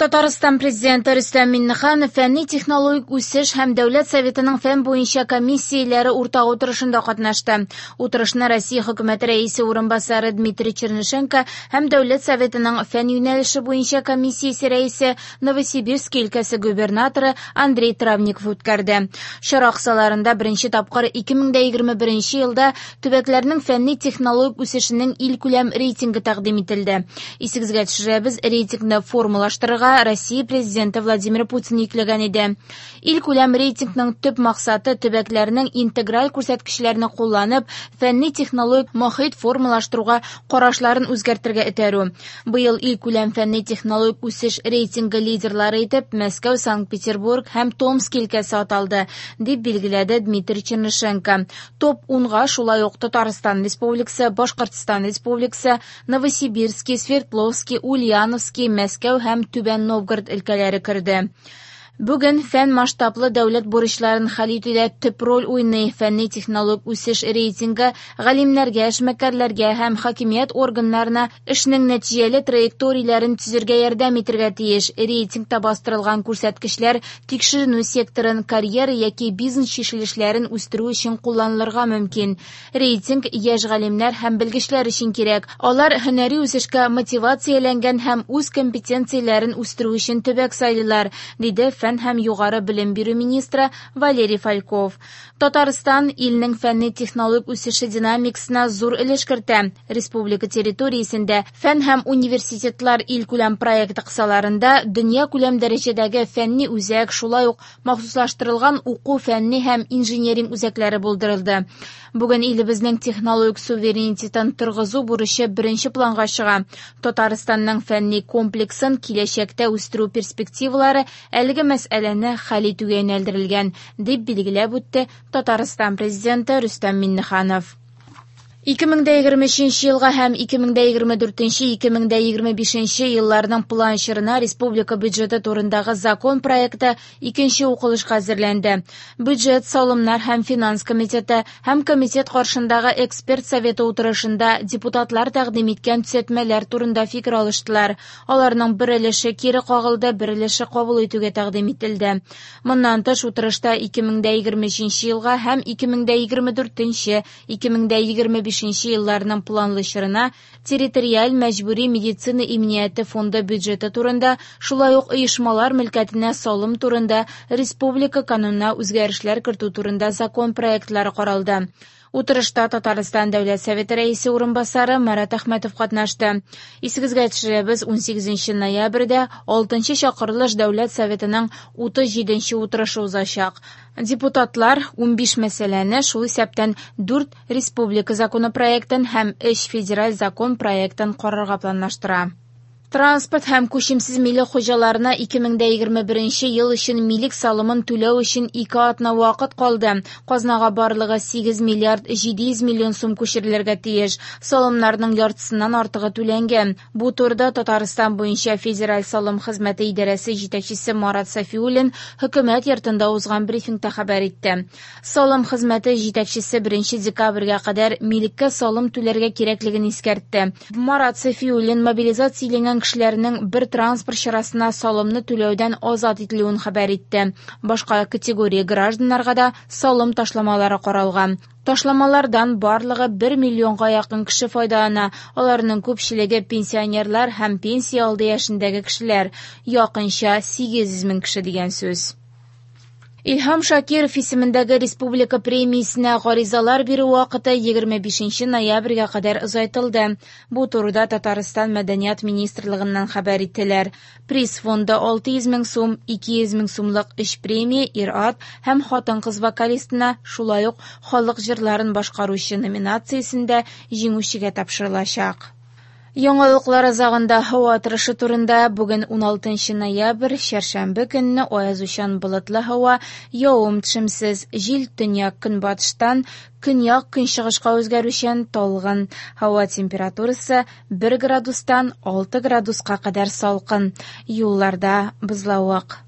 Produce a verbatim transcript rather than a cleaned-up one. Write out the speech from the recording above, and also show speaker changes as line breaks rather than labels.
Татарстан президенты Рөстәм Миңнеханов фәнни-технологик үсеш һәм Дәүләт Советының фән буенча комиссияләре уртак утырышында катнашты. Утырышны Россия хөкүмәте рәисе урынбасары Дмитрий Чернышенко һәм Дәүләт Советының фән юнәлеше буенча комиссиясе рәисе, Новосибирский өлкәсе губернаторы Андрей Травников үткәрде. Чара кысаларында беренче тапкыр ике мең дә егерме беренче елда төбәкләрнең фәнни-технологик үсешенең илкүләм рейтингы тәкъдим ителде. Исегезгә төшерәбез, рейтингны формалаштырырга Россия президенты Владимир Путин йөкләгән иде. Илкүләм рейтингның төп максаты төбәкләрнең интеграль күрсәткечләрне кулланып, фәнни-технологик мохит формалаштыруга карашларын үзгәртергә этәрү. Быел илкүләм фәнни-технологик үсеш рейтингы лидерлары итеп Мәскәү, Санкт-Петербург һәм Томск өлкәсе аталды, дип билгеләде Дмитрий Чернышенко. Топ унга шулай ук Татарстан Республикасы, Башкортстан Республикасы, Новосибирский, Свердловский, Ульяновский, Мәскәү һәм Түбән Новгород өлкәләре керде. Бүген фән масштаблы дәүләт бурычларын хәл итүдә төп роль уйный. Фәнни-технологик үсеш рейтингы галимнәргә, эшмәкәрләргә һәм хакимият органнарына эшнең нәтиҗәле траекторияләрен төзергә ярдәм итәргә тиеш. Рейтингта бастырылган күрсәткечләр тикшеренү секторын, карьера яки бизнес чишелешләрен үстерү өчен кулланылырга мөмкин. Рейтинг яшь галимнәр һәм белгечләр өчен кирәк. Алар һөнәри үсешкә мотивацияләнгән һәм үз компетенцияләрен үстерү өчен төбәк сайлыйлар, диде фән һәм югары белем бирү министры Валерий Фальков. Татарстан илнең фәнни-технологик үсеше динамикасына зур өлеш кертә. Республика территориясендә фән һәм университетлар илкүләм проекты кысаларында дөнья күләм дәрәҗәдәге фәнни үзәк, шулай ук махсуслаштырылган уку фәнни һәм инженеринг үзәкләре булдырылды. Бүген илебезнең технологик суверенитетын торгызу бурычы беренче планга чыга. Татарстанның фәнни комплексын киләчәктә үстерү перспективалары әлеге мәсьәләне хәл итүгә юнәлдерелгән, дип билгеләп үтте Татарстан президенты Рөстәм Миңнеханов. Ике мең дә егерме өченче елга һәм ике мең дә егерме дүртенче, ике мең дә егерме бишенче елларның план чорына республика бюджеты турындагы закон проекты икенче укылышка әзерләнде. Бюджет, салымнар һәм финанс комитеты һәм комитет каршындагы эксперт советы утырышында депутатлар тәкъдим иткән төзәтмәләр турында фикер алыштылар. Аларның бер өлеше кире кагылды, бер өлеше кабул итүгә тәкъдим ителде. Моннан тыш утырышта ике мең дә егерме өченче елга һәм ике мең дә егерме дүртенче, ике мең дә егерме бишенче елларның планлы чорына территориаль мәҗбүри медицина иминияте фонды бюджеты турында, шулай ук оешмалар мөлкәтенә салым турында республика канунына үзгәрешләр кертү турында закон проектлары каралды. Утырышта Татарстан Дәүләт Советы рәисе урынбасары Марат Әхмәтов катнашты. Исегезгә төшерәбез, унсигезенче ноябрьдә алтынчы чакырылыш Дәүләт Советының утыз җиденче утырышы узачак. Депутатлар унбиш мәсьәләне, шул исәптән дүрт республика законопроектын һәм өч федераль закон проектын карарга планлаштыра. Транспорт һәм күчемсез милек хуҗаларына ике мең дә егерме беренче ел өчен милек салымын түләү өчен ике атна вакыт калды. Казнага барлыгы сигез миллиард җиде йөз миллион сум күчерелергә тиеш. Салымнарның яртысыннан артыгы түләнгән. Бу турыда Татарстан буенча Федераль салым хезмәте идарәсе җитәкчесе Марат Сафиуллин хөкүмәт йортында узган брифингта хәбәр итте. Салым хезмәте җитәкчесе беренче декабрьгә кадәр милеккә салым түләргә кирәклеген искәртте. Марат Сафиуллин мобилизацияләнгән кешеләрнең бер транспорт чарасына салымны түләүдән азат ителүен хәбәр итте. Башка категория гражданнарга да салым ташламалары каралган. Ташламалардан барлыгы бер миллионга якын кеше файдалана. Аларның күпчелеге пенсионерлар һәм пенсия алды яшендәге кешеләр, якынча сигез йөз мең кеше дигән сүз. Илһам Шакиров исемендәге республика премиясенә гаризалар бирү вакыты егерме бишенче ноябрьгә кадәр озайтылды. Бу турыда Татарстан Мәдәният министрлыгыннан хәбәр иттеләр. Приз фонды алты йөз мең сум, ике йөз мең сумлык өч премия ир-ат һәм хатын-кыз вокалистына, шулай ук халык җырларын башкаручы номинациясендә җиңүчегә тапшырылачак. Яңалыклар азагында һава торышы турында. Бүген уналтынчы ноябрь, чәршәмбе көнне аязучан болытлы һава, явым-төшемсез, җил төньяк көнбатыштан көньяк көнчыгышка үзгәрүчән талгын. Һава температурасы бер градустан алты градуска кадәр салкын. Юлларда бозлавык.